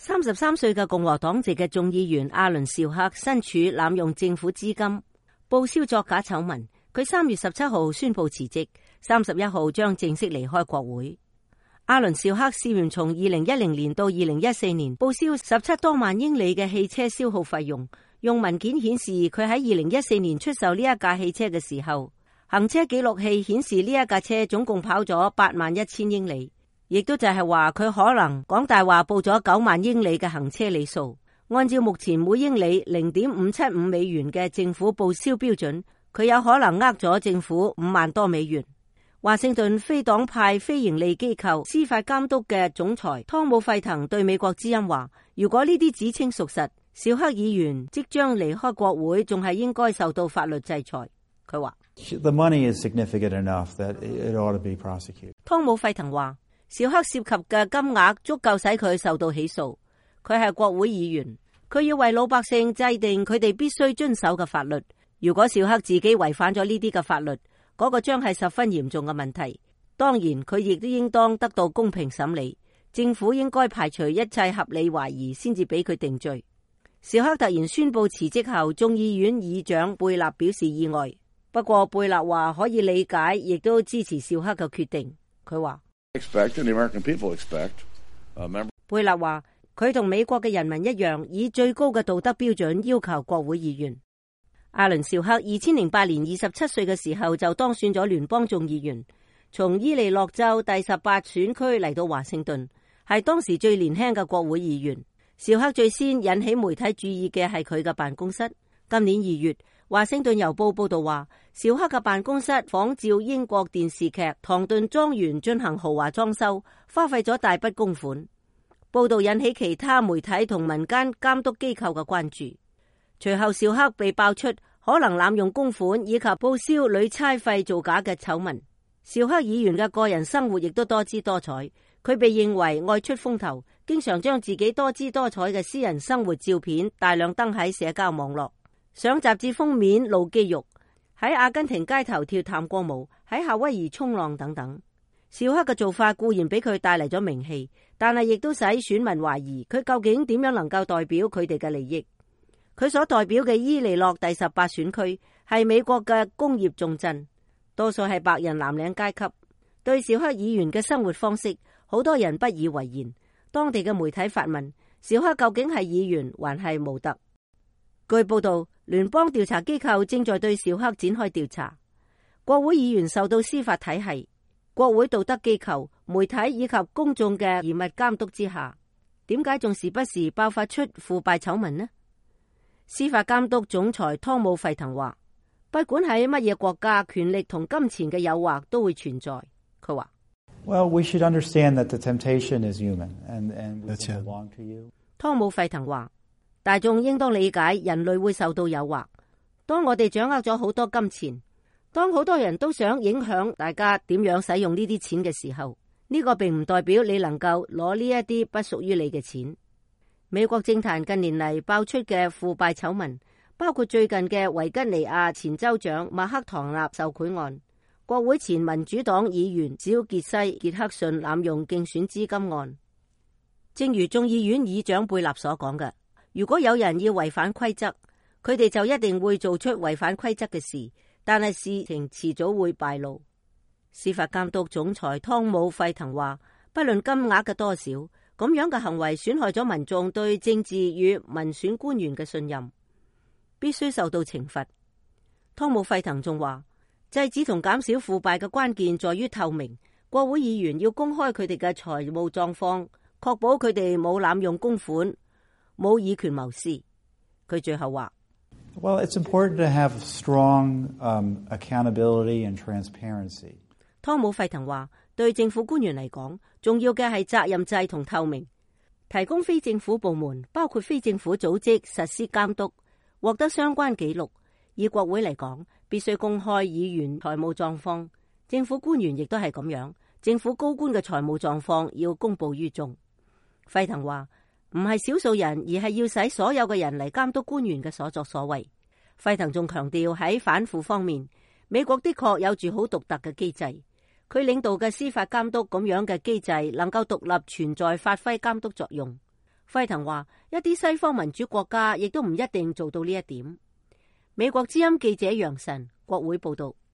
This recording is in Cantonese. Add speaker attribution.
Speaker 1: 33歲嘅共和黨籍嘅眾議員阿倫紹克身處濫用政府資金、報銷作假醜聞，佢3月17號宣布辭職，31號將正式離開國會。阿倫紹克涉嫌從2010年到2014年報銷17多萬英里嘅汽車消耗費用。用文件顯示佢喺2014年出售呢一架汽車嘅時候，行車記錄器顯示呢一架車總共跑咗81000英里，亦都就係話佢可能講大話報咗9萬英里嘅行車里數。按照目前每英里0.575美元嘅政府報銷標準，佢有可能呃咗政府5萬多美元。華盛頓非黨派非營利機構司法監督嘅總裁湯姆費騰對美國之音話，如果呢啲指稱屬實，紹克議員即將離開國會，仲係應該受到法律制裁。佢話
Speaker 2: ，The money is significant enough that it ought to be prosecuted.
Speaker 1: 湯姆費騰話，紹克涉及嘅金額足夠使佢受到起訴。佢係國會議員，佢要為老百姓制定佢哋必須遵守嘅法律。如果紹克自己違反咗呢啲嘅法律，嗰個將係十分嚴重嘅問題。當然，佢亦都應當得到公平審理。政府應該排除一切合理懷疑，先至俾佢定罪。紹克突然宣布辭職後，眾議院議長貝納表示意外。不過貝納話可以理解，亦都支持紹克嘅決定。佢話，貝納話佢同美國嘅人民一樣，以最高嘅道德標準要求國會議員。阿倫紹克2008年27歲嘅時候就當選咗聯邦眾議員，從伊利諾州第18選區嚟到華盛頓，係當時最年輕嘅國會議員。紹克最先引起媒體注意嘅係佢嘅辦公室。今年2月，華盛頓郵報報道話，紹克嘅辦公室仿照英國電視劇《唐頓莊園》進行豪華裝修，花費咗大筆公款。報道引起其他媒體同民間監督機構嘅關注。隨後紹克被爆出可能濫用公款以及報銷旅差費造假嘅醜聞。紹克議員嘅個人生活亦都多姿多彩，佢被認為愛出風頭，經常將自己多姿多彩嘅私人生活照片大量登喺社交網絡，上雜誌封面露肌肉，喺阿根廷街頭跳探戈舞，喺夏威夷衝浪等等。紹克嘅做法固然俾佢帶嚟咗名氣，但係亦都使選民懷疑佢究竟點樣能夠代表佢哋嘅利益。佢所代表嘅伊利諾第18選區係美國嘅工業重鎮，多數係白人藍領階級。對紹克議員嘅生活方式，好多人不以為然。當地嘅媒體發問，紹克究竟係議員還係模特？據報道，聯邦調查機構正在對紹克展開調查。國會議員受到司法體系、國會道德機構、媒體以及公眾嘅嚴密監督之下，點解仲時不時爆發出腐敗醜聞呢？司法監督總裁湯姆費騰話，不管喺乜嘢國家，權力同金錢嘅誘惑都會存在。佢話
Speaker 2: ，Well, we should understand that the temptation is human, and we can belong to you.
Speaker 1: 湯姆費騰話，大眾應當理解人類會受到誘惑。當我哋掌握咗好多金錢，當好多人都想影響大家點樣使用呢啲錢嘅時候，呢個並唔代表你能夠攞呢一啲不屬於你嘅錢。美國政壇近年嚟爆出嘅腐敗醜聞，包括最近嘅維吉尼亞前州長麥克唐納受賄案、國會前民主黨議員小傑西傑克遜濫用競選資金案。正如眾議院議長貝納所講嘅，如果有人要違反規則，佢哋就一定會做出違反規則嘅事，但係事情遲早會敗露。司法監督總裁湯姆費騰話，不論金額嘅多少，咁樣嘅行為損害咗民眾對政治與民選官員嘅信任，必須受到懲罰。湯姆費騰仲話，制止同減少腐敗嘅關鍵在於透明，國會議員要公開佢哋嘅財務狀況，確保佢哋冇濫用公款，冇以權謀私。佢最後話
Speaker 2: ，Well, it's important to have strong accountability and transparency.
Speaker 1: 湯姆費騰話，對政府官員嚟講，重要嘅係責任制同透明，提供非政府部門，包括非政府組織實施監督，獲得相關記錄。以國會嚟講，必須公開議員財務狀況，政府官員亦都係咁樣，政府高官嘅財務狀況要公布於眾。費騰話，唔係少數人，而係要使所有嘅人嚟監督官員嘅所作所為。費騰仲強調喺反腐方面，美國的確有住好獨特嘅機制。佢領導嘅司法監督咁樣嘅機制能夠獨立存在，發揮監督作用。輝騰話，一啲西方民主國家亦都唔一定做到呢一點。美國之音記者楊晨，國會報道。